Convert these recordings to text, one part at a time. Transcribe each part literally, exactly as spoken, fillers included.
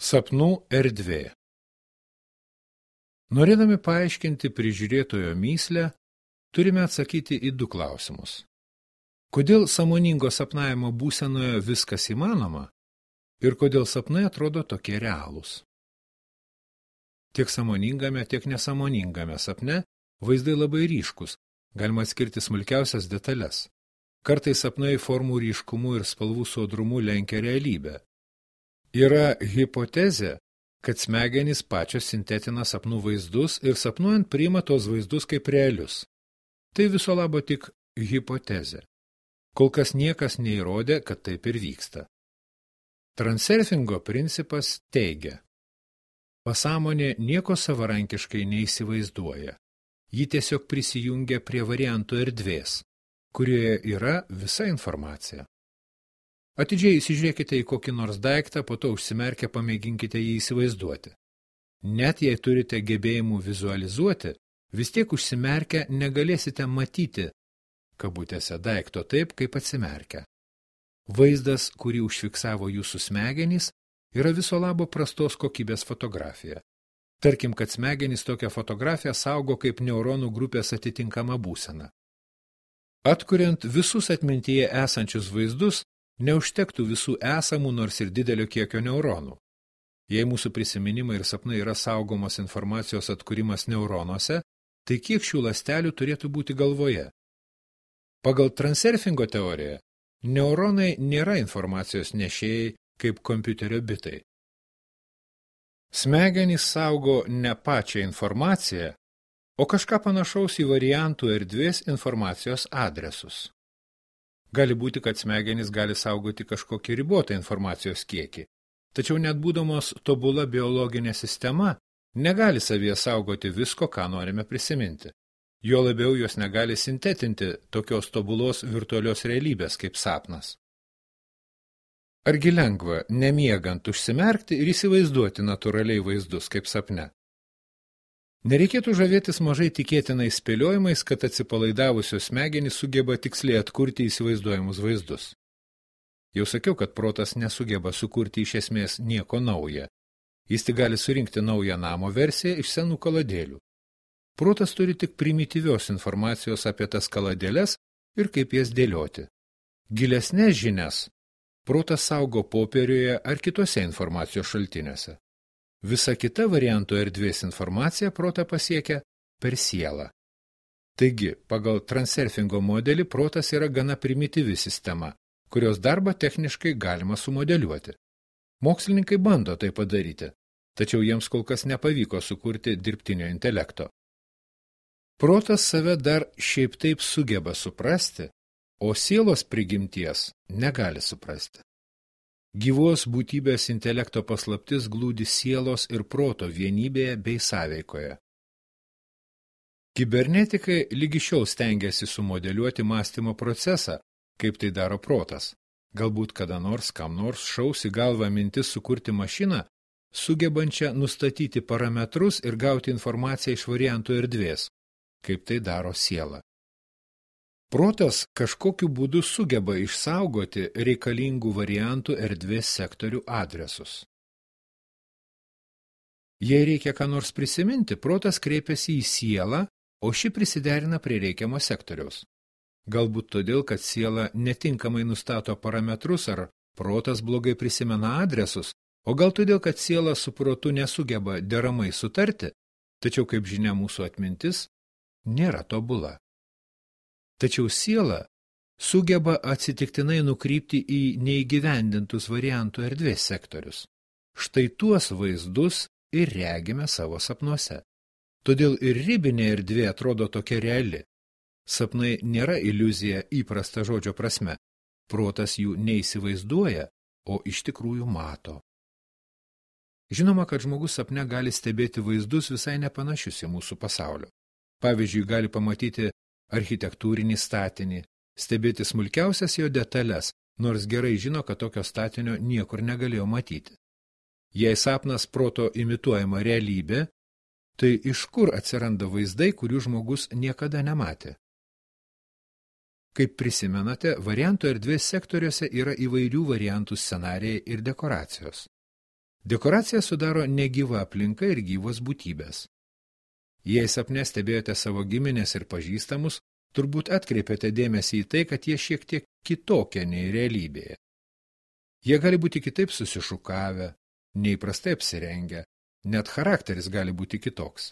Sapnų erdvė. Norėdami paaiškinti prižiūrėtojo mįslę, turime atsakyti į du klausimus. Kodėl sąmoningo sapnavimo būsenoje viskas įmanoma ir kodėl sapnai atrodo tokie realūs? Tiek sąmoningame, tiek nesąmoningame sapne vaizdai labai ryškus, galima atskirti smulkiausias detalės. Kartais sapnai formų ryškumu ir spalvų sodrumu lenkia realybę. Yra hipotezė, kad smegenys pačios sintetina sapnų vaizdus ir sapnuojant priima tos vaizdus kaip realius. Tai viso labo tik hipotezė. Kol kas niekas neįrodė, kad taip ir vyksta. Transurfingo principas teigia: pasąmonė nieko savarankiškai neįsivaizduoja. Ji tiesiog prisijungia prie variantų erdvės, kurioje yra visa informacija. Atidžiai įsižiūrėkite į kokį nors daiktą, po to užsimerkę pamėginkite jį įsivaizduoti. Net jei turite gebėjimų vizualizuoti, vis tiek užsimerkę negalėsite matyti, kabutėse, daikto taip, kaip atsimerkę. Vaizdas, kurį užfiksavo jūsų smegenys, yra viso labo prastos kokybės fotografija. Tarkim, kad smegenys tokią fotografiją saugo kaip neuronų grupės atitinkama būsena. Atkuriant visus atmintyje esančius vaizdus, neužtektų visų esamų nors ir didelio kiekio neuronų. Jei mūsų prisiminimai ir sapnai yra saugomos informacijos atkūrimas neuronuose, tai kiek šių ląstelių turėtų būti galvoje? Pagal transurfingo teoriją, neuronai nėra informacijos nešėjai kaip kompiuterio bitai. Smegenys saugo ne pačią informaciją, o kažką panašaus į variantų erdvės informacijos adresus. Gali būti, kad smegenys gali saugoti kažkokį ribotą informacijos kiekį, tačiau net būdamos tobula biologinė sistema, negali savyje saugoti visko, ką norime prisiminti. Jo labiau jos negali sintetinti tokios tobulos virtualios realybės kaip sapnas. Argi lengva, nemiegant, užsimerkti ir įsivaizduoti natūraliai vaizdus kaip sapne? Nereikėtų žavėtis mažai tikėtinais spėliojimais, kad atsipalaidavusios smegenys sugeba tiksliai atkurti įsivaizduojamus vaizdus. Jau sakiau, kad protas nesugeba sukurti iš esmės nieko nauja. Jis tik gali surinkti naują namo versiją iš senų kaladėlių. Protas turi tik primityvios informacijos apie tas kaladėles ir kaip jas dėlioti. Gilesnės žinias protas saugo popieriuje ar kitose informacijos šaltiniuose. Visa kita variantų erdvės informacija protą pasiekia per sielą. Taigi, pagal transurfingo modelį protas yra gana primityvi sistema, kurios darbą techniškai galima sumodeliuoti. Mokslininkai bando tai padaryti, tačiau jiems kol kas nepavyko sukurti dirbtinio intelekto. Protas save dar šiaip taip sugeba suprasti, o sielos prigimties negali suprasti. Gyvos būtybės intelekto paslaptis glūdi sielos ir proto vienybėje bei sąveikoje. Kibernetikai lygi šiol stengiasi sumodeliuoti mąstymo procesą, kaip tai daro protas. Galbūt kada nors kam nors šaus į galvą mintis sukurti mašiną, sugebančią nustatyti parametrus ir gauti informaciją iš variantų erdvės, kaip tai daro siela. Protas kažkokiu būdu sugeba išsaugoti reikalingų variantų erdvės sektorių adresus. Jei reikia ką nors prisiminti, protas kreipiasi į sielą, o ši prisiderina prie reikiamo sektoriaus. Galbūt todėl, kad siela netinkamai nustato parametrus ar protas blogai prisimena adresus, o gal todėl, kad siela su protu nesugeba deramai sutarti, tačiau, kaip žinia, mūsų atmintis nėra tobula. Tačiau siela sugeba atsitiktinai nukrypti į neįgyvendintus variantų erdvės sektorius. Štai tuos vaizdus ir regime savo sapnuose. Todėl ir ribinė erdvė atrodo tokia reali. Sapnai nėra iliuzija įprasta žodžio prasme. Protas jų neįsivaizduoja, o iš tikrųjų mato. Žinoma, kad žmogus sapne gali stebėti vaizdus visai nepanašius į mūsų pasaulio. Pavyzdžiui, gali pamatyti architektūrinį statinį, stebėti smulkiausias jo detalės, nors gerai žino, kad tokio statinio niekur negalėjo matyti. Jei sapnas proto imituojama realybė, tai iš kur atsiranda vaizdai, kurių žmogus niekada nematė? Kaip prisimenate, variantų erdvės sektoriuose yra įvairių variantų scenarijai ir dekoracijos. Dekoraciją sudaro negyva aplinka ir gyvos būtybės. Jei sapne stebėjote savo giminės ir pažįstamus, turbūt atkreipėte dėmesį į tai, kad jie šiek tiek kitokie nei realybėje. Jie gali būti kitaip susišukavę, neįprastai apsirengę, net charakteris gali būti kitoks.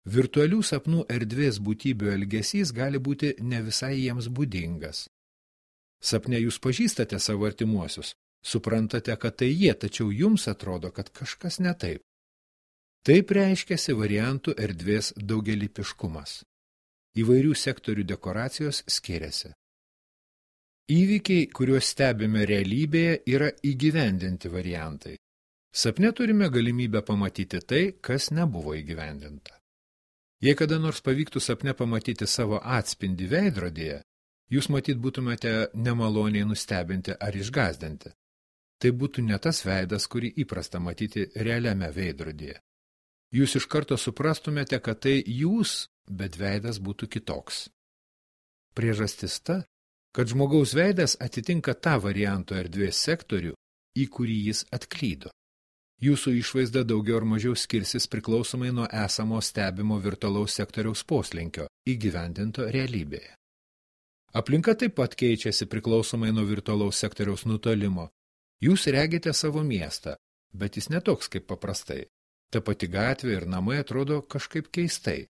Virtualių sapnų erdvės būtybių elgesys gali būti ne visai jiems būdingas. Sapne jūs pažįstate savo artimuosius, suprantate, kad tai jie, tačiau jums atrodo, kad kažkas ne taip. Taip reiškiasi variantų erdvės daugialypiškumas. Įvairių sektorių dekoracijos skiriasi. Įvykiai, kuriuos stebime realybėje, yra įgyvendinti variantai. Sapne turime galimybę pamatyti tai, kas nebuvo įgyvendinta. Jei kada nors pavyktų sapne pamatyti savo atspindį veidrodyje, jūs matyt būtumėte nemaloniai nustebinti ar išgąsdinti. Tai būtų ne tas veidas, kurį įprasta matyti realiame veidrodyje. Jūs iš karto suprastumėte, kad tai jūs, bet veidas būtų kitoks. Priežastis ta, kad žmogaus veidas atitinka tą varianto erdvės sektorių, į kurį jis atklydo. Jūsų išvaizda daugiau ar mažiau skirsis priklausomai nuo esamo stebimo virtualaus sektoriaus poslinkio įgyvendinto realybėje. Aplinka taip pat keičiasi priklausomai nuo virtualaus sektoriaus nutolimo. Jūs regite savo miestą, bet jis netoks kaip paprastai. Ta pati gatvė ir namai atrodo kažkaip keistai.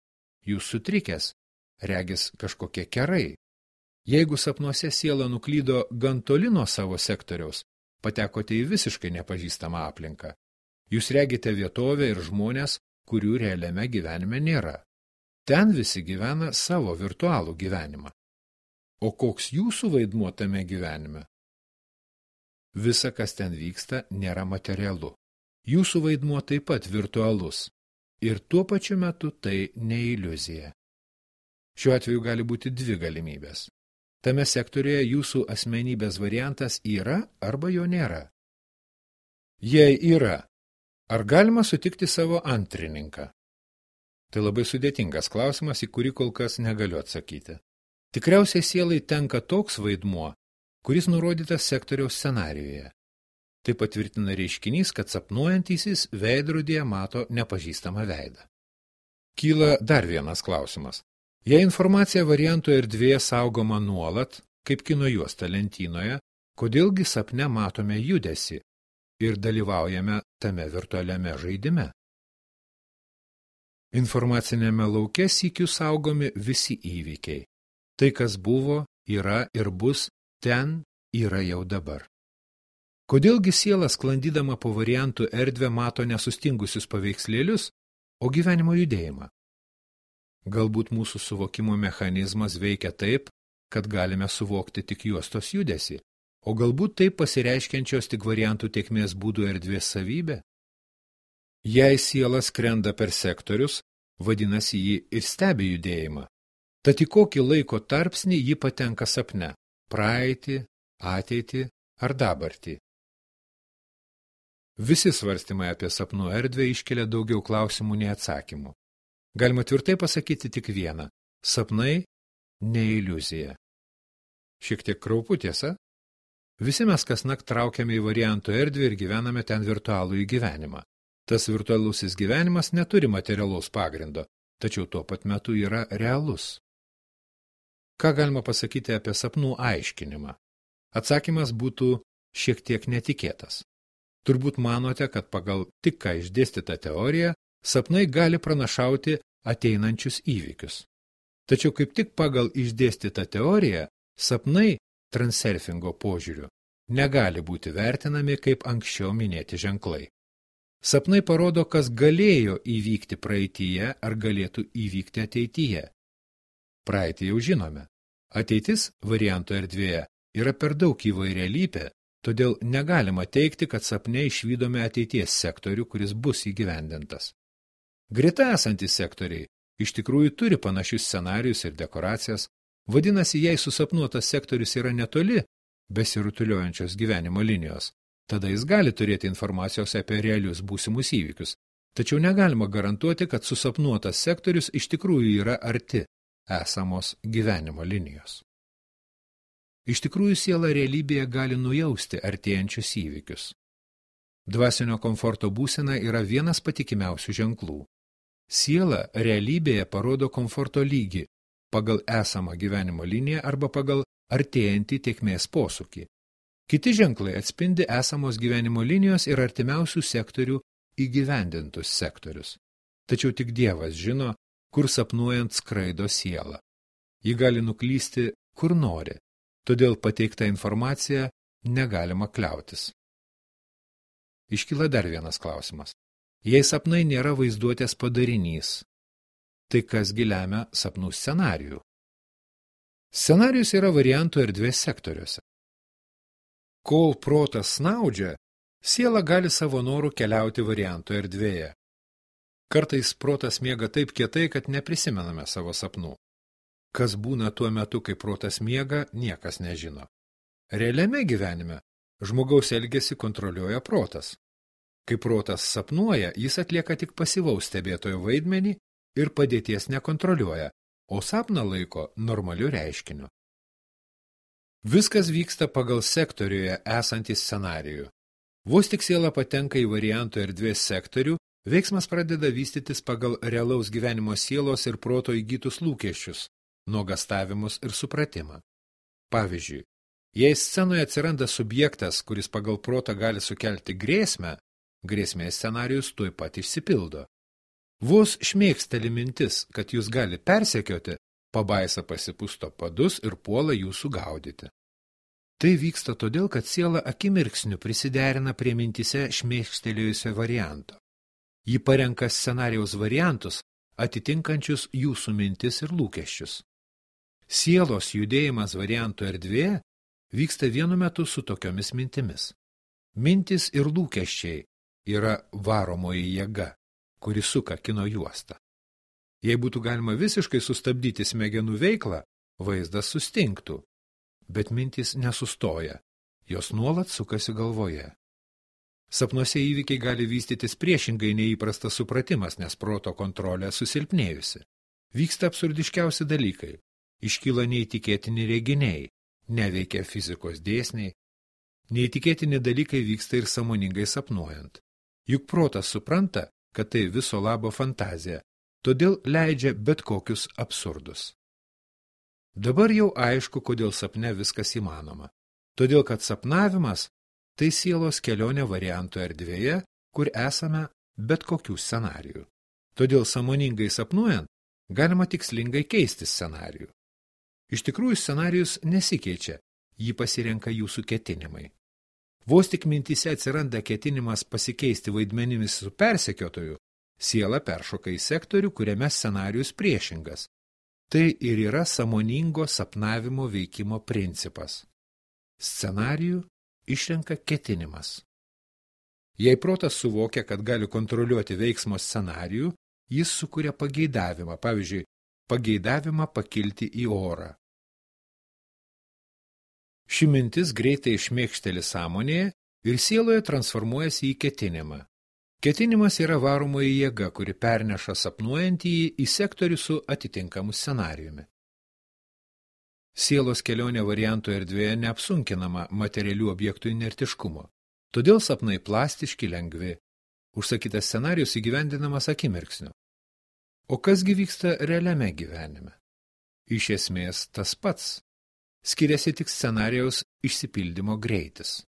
Jūs sutrikęs, regis kažkokie kerai. Jeigu sapnuose siela nuklydo gan toli nuo savo sektoriaus, patekote į visiškai nepažįstamą aplinką. Jūs regite vietovę ir žmonės, kurių realiame gyvenime nėra. Ten visi gyvena savo virtualų gyvenimą. O koks jūsų vaidmuo tame gyvenime? Visa, kas ten vyksta, nėra materialu. Jūsų vaidmuo taip pat virtualus. Ir tuo pačiu metu tai ne iliuzija. Šiuo atveju gali būti dvi galimybės. Tame sektoriuje jūsų asmenybės variantas yra arba jo nėra. Jei yra, ar galima sutikti savo antrininką? Tai labai sudėtingas klausimas, į kurį kol kas negaliu atsakyti. Tikriausiai sielai tenka toks vaidmuo, kuris nurodytas sektoriaus scenarijoje. Tai patvirtina reiškinys, kad sapnuojantysis veidrodyje mato nepažįstamą veidą. Kyla dar vienas klausimas. Jei informacija variantų erdvėje saugoma nuolat, kaip kino juosta lentynoje, kodėlgi sapne matome judesį ir dalyvaujame tame virtualiame žaidime? Informacinėme lauke sykiu saugomi visi įvykiai. Tai, kas buvo, yra ir bus, ten yra jau dabar. Kodėlgi siela sklandydama po variantų erdvę mato nesustingusius paveikslėlius, o gyvenimo judėjimą? Galbūt mūsų suvokimo mechanizmas veikia taip, kad galime suvokti tik juostos judesį, o galbūt taip pasireiškiančios tik variantų tėkmės būdų erdvės savybė? Jei siela skrenda per sektorius, vadinasi jį ir stebi judėjimą. Tad į kokį laiko tarpsnį ji patenka sapne – praeitį, ateitį ar dabartį? Visi svarstymai apie sapnų erdvę iškelia daugiau klausimų nei atsakymų. Galima tvirtai pasakyti tik vieną – sapnai ne iliuzija. Šiek tiek kraupu, tiesa? Visi mes kasnakt traukiame į variantų erdvę ir gyvename ten virtualų gyvenimą. Tas virtualusis gyvenimas neturi materialaus pagrindo, tačiau tuo pat metu yra realus. Ką galima pasakyti apie sapnų aiškinimą? Atsakymas būtų šiek tiek netikėtas. Turbūt manote, kad pagal tik ką išdėstytą teoriją sapnai gali pranašauti ateinančius įvykius. Tačiau kaip tik pagal išdėstytą teoriją, sapnai transurfingo požiūriu negali būti vertinami kaip anksčiau minėti ženklai. Sapnai parodo, kas galėjo įvykti praeityje ar galėtų įvykti ateityje. Praeitį jau žinome. Ateitis varianto erdvėje yra per daug įvairialypė, todėl negalima teigti, kad sapne išvydome ateities sektorių, kuris bus įgyvendintas. Greta esantys sektoriai iš tikrųjų turi panašius scenarijus ir dekoracijas, vadinasi, jei susapnuotas sektorius yra netoli besirutuliojančios gyvenimo linijos, tada jis gali turėti informacijos apie realius būsimus įvykius, tačiau negalima garantuoti, kad susapnuotas sektorius iš tikrųjų yra arti esamos gyvenimo linijos. Iš tikrųjų siela realybėje gali nujausti artėjančius įvykius. Dvasinio komforto būsena yra vienas patikimiausių ženklų. Siela realybėje parodo komforto lygį pagal esamą gyvenimo liniją arba pagal artėjantį tėkmės posūkį. Kiti ženklai atspindi esamos gyvenimo linijos ir artimiausių sektorių įgyvendintus sektorius. Tačiau tik Dievas žino, kur sapnuojant skraido siela. Ji gali nuklysti, kur nori, todėl pateiktą informaciją negalima kliautis. Iškyla dar vienas klausimas. Jei sapnai nėra vaizduotės padarinys, tai kasgi lemia sapnų scenarijų? Scenarijus yra variantų erdvės sektoriuose. Kol protas snaudžia, siela gali savo norų keliauti variantų erdvėje. Kartais protas miega taip kietai, kad neprisimename savo sapnų. Kas būna tuo metu, kai protas miega, niekas nežino. Realiame gyvenime žmogaus elgesį kontroliuoja protas. Kai protas sapnuoja, jis atlieka tik pasyvaus stebėtojo vaidmenį ir padėties nekontroliuoja, o sapną laiko normaliu reiškiniu. Viskas vyksta pagal sektoriuje esantį scenarijų. Vos tik siela patenka į variantų erdvės sektorių, veiksmas pradeda vystytis pagal realaus gyvenimo sielos ir proto įgytus lūkesčius, nuogastavimus ir supratimą. Pavyzdžiui, jei scenoje atsiranda subjektas, kuris pagal protą gali sukelti grėsmę, grėsmės scenarijus tuoj pat išsipildo. Vos šmėksteli mintis, kad jūs gali persekioti, pabaisa pasipusto padus ir puola jūsų gaudyti. Tai vyksta todėl, kad siela akimirksniu prisiderina prie mintise šmėkstelėjusio varianto. Ji parenka scenarijaus variantus, atitinkančius jūsų mintis ir lūkesčius. Sielos judėjimas variantų erdvėje vyksta vienu metu su tokiomis mintimis. Mintis ir lūkesčiai yra varomoji jėga, kuri suka kino juostą. Jei būtų galima visiškai sustabdyti smegenų veiklą, vaizdas sustingtų, bet mintys nesustoja, jos nuolat sukasi galvoje. Sapnuose įvykiai gali vystytis priešingai neįprastas supratimas, nes proto kontrolė susilpnėjusi. Vyksta absurdiškiausi dalykai, iškyla neįtikėtini reginiai, neveikia fizikos dėsniai. Neįtikėtini dalykai vyksta ir sąmoningai sapnuojant. Juk protas supranta, kad tai viso labo fantazija, todėl leidžia bet kokius absurdus. Dabar jau aišku, kodėl sapne viskas įmanoma. Todėl, kad sapnavimas – tai sielos kelionė variantų erdvėje, kur esame bet kokių scenarijų. Todėl sąmoningai sapnuojant, galima tikslingai keisti scenarijų. Iš tikrųjų, scenarijus nesikeičia, jį pasirenka jūsų ketinimai. Vos tik mintise atsiranda ketinimas pasikeisti vaidmenimis su persekiotoju, siela peršoka į sektorių, kuriame scenarijus priešingas. Tai ir yra sąmoningo sapnavimo veikimo principas. Scenarijų išrenka ketinimas. Jei protas suvokia, kad gali kontroliuoti veiksmo scenarijų, jis sukuria pageidavimą, pavyzdžiui, pageidavimą pakilti į orą. Ši mintis greitai šmėkšteli sąmonėje ir sieloje transformuojasi į ketinimą. Ketinimas yra varomoji jėga, kuri perneša sapnuojantįjį į sektorių su atitinkamu scenarijumi. Sielos kelionė variantų erdvėje neapsunkinama materialių objektų inertiškumo, todėl sapnai plastiški, lengvi. Užsakytas scenarijus įgyvendinamas akimirksniu. O kasgi vyksta realiame gyvenime? Iš esmės tas pats. Skiriasi tik scenarijaus išsipildymo greitis.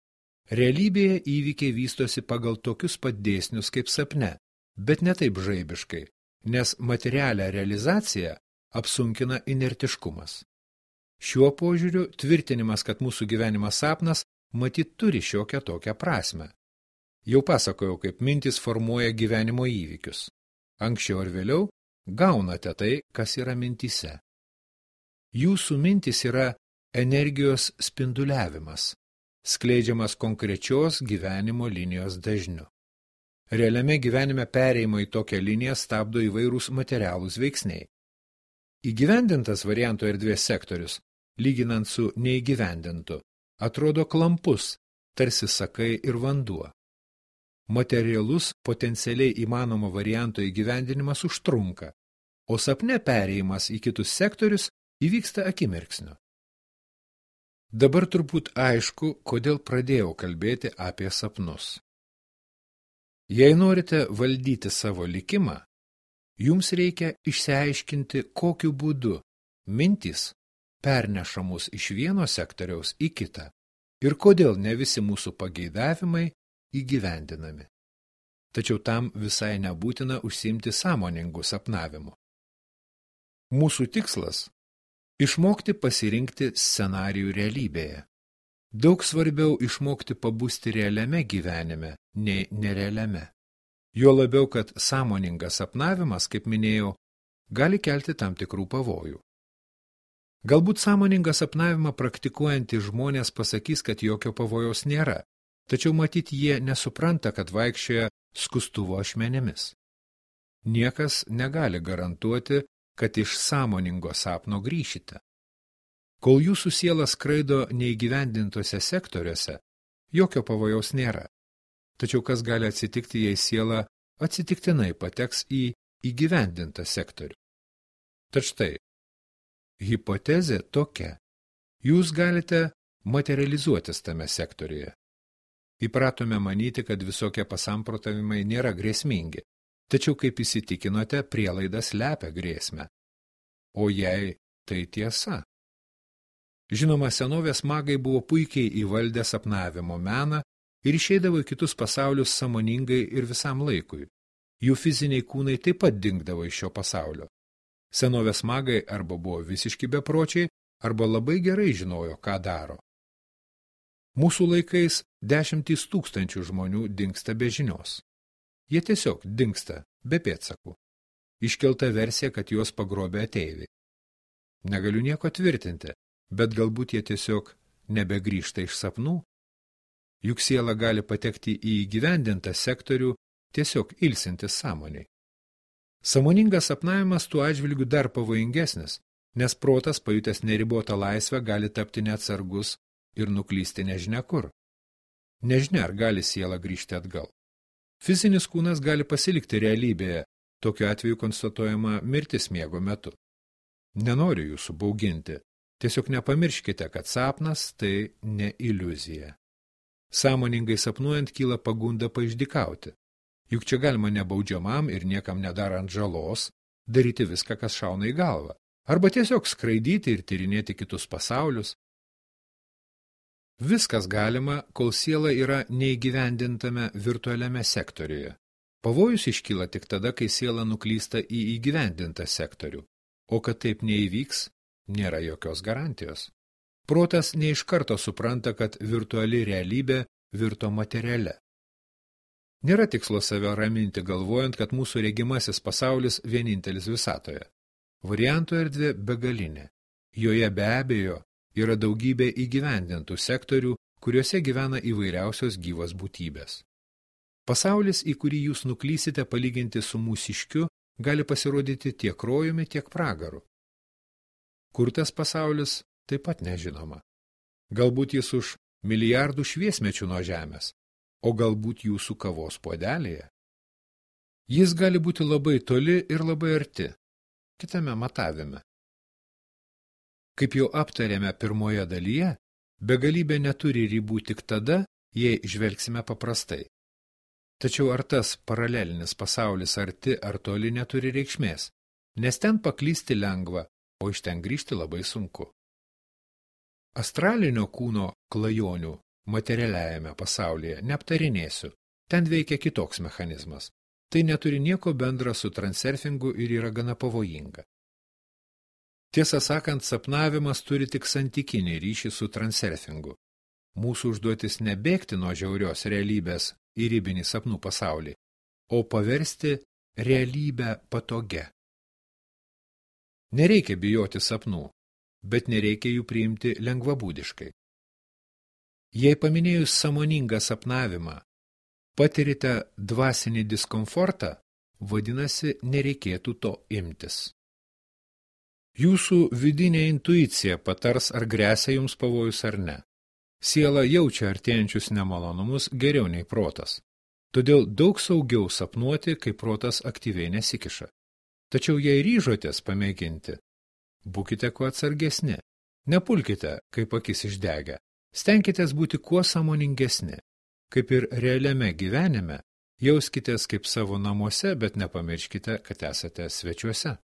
Realybėje įvykiai vystosi pagal tokius pat dėsnius kaip sapne, bet ne taip žaibiškai, nes materialią realizaciją apsunkina inertiškumas. Šiuo požiūriu tvirtinimas, kad mūsų gyvenimas sapnas, matyt turi šiokią tokią prasmę. Jau pasakojau, kaip mintis formuoja gyvenimo įvykius. Anksčiau ar vėliau gaunate tai, kas yra mintyse. Jūsų mintis yra energijos spinduliavimas, skleidžiamas konkrečios gyvenimo linijos dažniu. Realiame gyvenime perėjimo į tokią liniją stabdo įvairūs materialūs veiksniai. Įgyvendintas variantų erdvės sektorius, lyginant su neįgyvendintu, atrodo klampus, tarsi sakai ir vanduo. Materialus potencialiai įmanomo varianto įgyvendinimas užtrunka, o sapne perėjimas į kitus sektorius įvyksta akimirksniu. Dabar turbūt aišku, kodėl pradėjau kalbėti apie sapnus. Jei norite valdyti savo likimą, jums reikia išsiaiškinti, kokiu būdu mintys perneša mus iš vieno sektoriaus į kitą ir kodėl ne visi mūsų pageidavimai įgyvendinami. Tačiau tam visai nebūtina užsiimti sąmoningų sapnavimu. Mūsų tikslas – išmokti pasirinkti scenarijų realybėje. Daug svarbiau išmokti pabusti realiame gyvenime nei nerealiame. Jo labiau, kad sąmoningas sapnavimas, kaip minėjau, gali kelti tam tikrų pavojų. Galbūt sąmoningą sapnavimą praktikuojantys žmonės pasakys, kad jokio pavojaus nėra, tačiau matyt jie nesupranta, kad vaikščioja skustuvo ašmenėmis. Niekas negali garantuoti, kad iš sąmoningo sapno grįšite. Kol jūsų siela skraido neįgyvendintose sektoriuose, jokio pavojaus nėra. Tačiau kas gali atsitikti, jei siela atsitiktinai pateks į įgyvendintą sektorių? Tad štai, hipotezė tokia. Jūs galite materializuotis tame sektoriuje. Įpratome manyti, kad visokie pasamprotavimai nėra grėsmingi, tačiau kaip įsitikinote, prielaidas slepia grėsmę. O jei tai tiesa? Žinoma, senovės magai buvo puikiai įvaldę sapnavimo meną ir išeidavo į kitus pasaulius sąmoningai ir visam laikui. Jų fiziniai kūnai taip pat dingdavo iš šio pasaulio. Senovės magai arba buvo visiški bepročiai, arba labai gerai žinojo, ką daro. Mūsų laikais dešimtys tūkstančių žmonių dingsta be žinios. Jie tiesiog dingsta be pėdsakų. Iškelta versija, kad juos pagrobė ateiviai. Negaliu nieko tvirtinti, bet galbūt jie tiesiog nebegrįžta iš sapnų. Juk siela gali patekti į įgyvendintą sektorių, tiesiog ilsintis sąmoniai. Sąmoningas sapnavimas tuo atžvilgiu dar pavojingesnis, nes protas, pajutęs neribotą laisvę, gali tapti neatsargus ir nuklysti nežinia kur. Nežinia, ar gali siela grįžti atgal. Fizinis kūnas gali pasilikti realybėje, tokiu atveju konstatuojama mirtis miego metu. Nenoriu jūsų bauginti, tiesiog nepamirškite, kad sapnas tai ne iliuzija. Sąmoningai sapnuojant kyla pagunda paišdykauti. Juk čia galima nebaudžiamam ir niekam nedarant žalos daryti viską, kas šauna į galvą, arba tiesiog skraidyti ir tyrinėti kitus pasaulius. Viskas galima, kol siela yra neįgyvendintame virtualiame sektoriuje. Pavojus iškyla tik tada, kai siela nuklysta į įgyvendintą sektorių, o kad taip neįvyks, nėra jokios garantijos. Protas ne iš karto supranta, kad virtuali realybė virto materialia. Nėra tikslo save raminti galvojant, kad mūsų regimasis pasaulis vienintelis visatoje. Variantų erdvė begalinė. Joje be abejo yra daugybė įgyvendintų sektorių, kuriuose gyvena įvairiausios gyvos būtybės. Pasaulis, į kurį jūs nuklysite palyginti su mūsiškiu, gali pasirodyti tiek rojumi, tiek pragaru. Kur tas pasaulis, taip pat nežinoma. Galbūt jis už milijardų šviesmečių nuo žemės, o galbūt jūsų kavos puodelėje. Jis gali būti labai toli ir labai arti, kitame matavime. Kaip jau aptarėme pirmoje dalyje, begalybė neturi ribų tik tada, jei žvelgsime paprastai. Tačiau ar tas paralelinis pasaulis arti ar toli neturi reikšmės, nes ten paklysti lengva, o iš ten grįžti labai sunku. Astralinio kūno klajonių materialiajame pasaulyje neaptarinėsiu, ten veikia kitoks mechanizmas. Tai neturi nieko bendra su transurfingu ir yra gana pavojinga. Tiesą sakant, sapnavimas turi tik santykinį ryšį su transurfingu. Mūsų užduotis nebėgti nuo žiaurios realybės į ribinį sapnų pasaulį, o paversti realybę patogia. Nereikia bijoti sapnų, bet nereikia jų priimti lengvabūdiškai. Jei paminėjus sąmoningą sapnavimą, patirite dvasinį diskomfortą, vadinasi, nereikėtų to imtis. Jūsų vidinė intuicija patars, ar gresia jums pavojus ar ne. Siela jaučia artėjančius nemalonumus geriau nei protas. Todėl daug saugiau sapnuoti, kai protas aktyviai nesikiša. Tačiau jei ryžotės pamėginti, būkite kuo atsargesni. Nepulkite, kaip akis išdegę. Stenkitės būti kuo sąmoningesni. Kaip ir realiame gyvenime, Jauskitės kaip savo namuose, bet nepamirškite, kad esate svečiuose.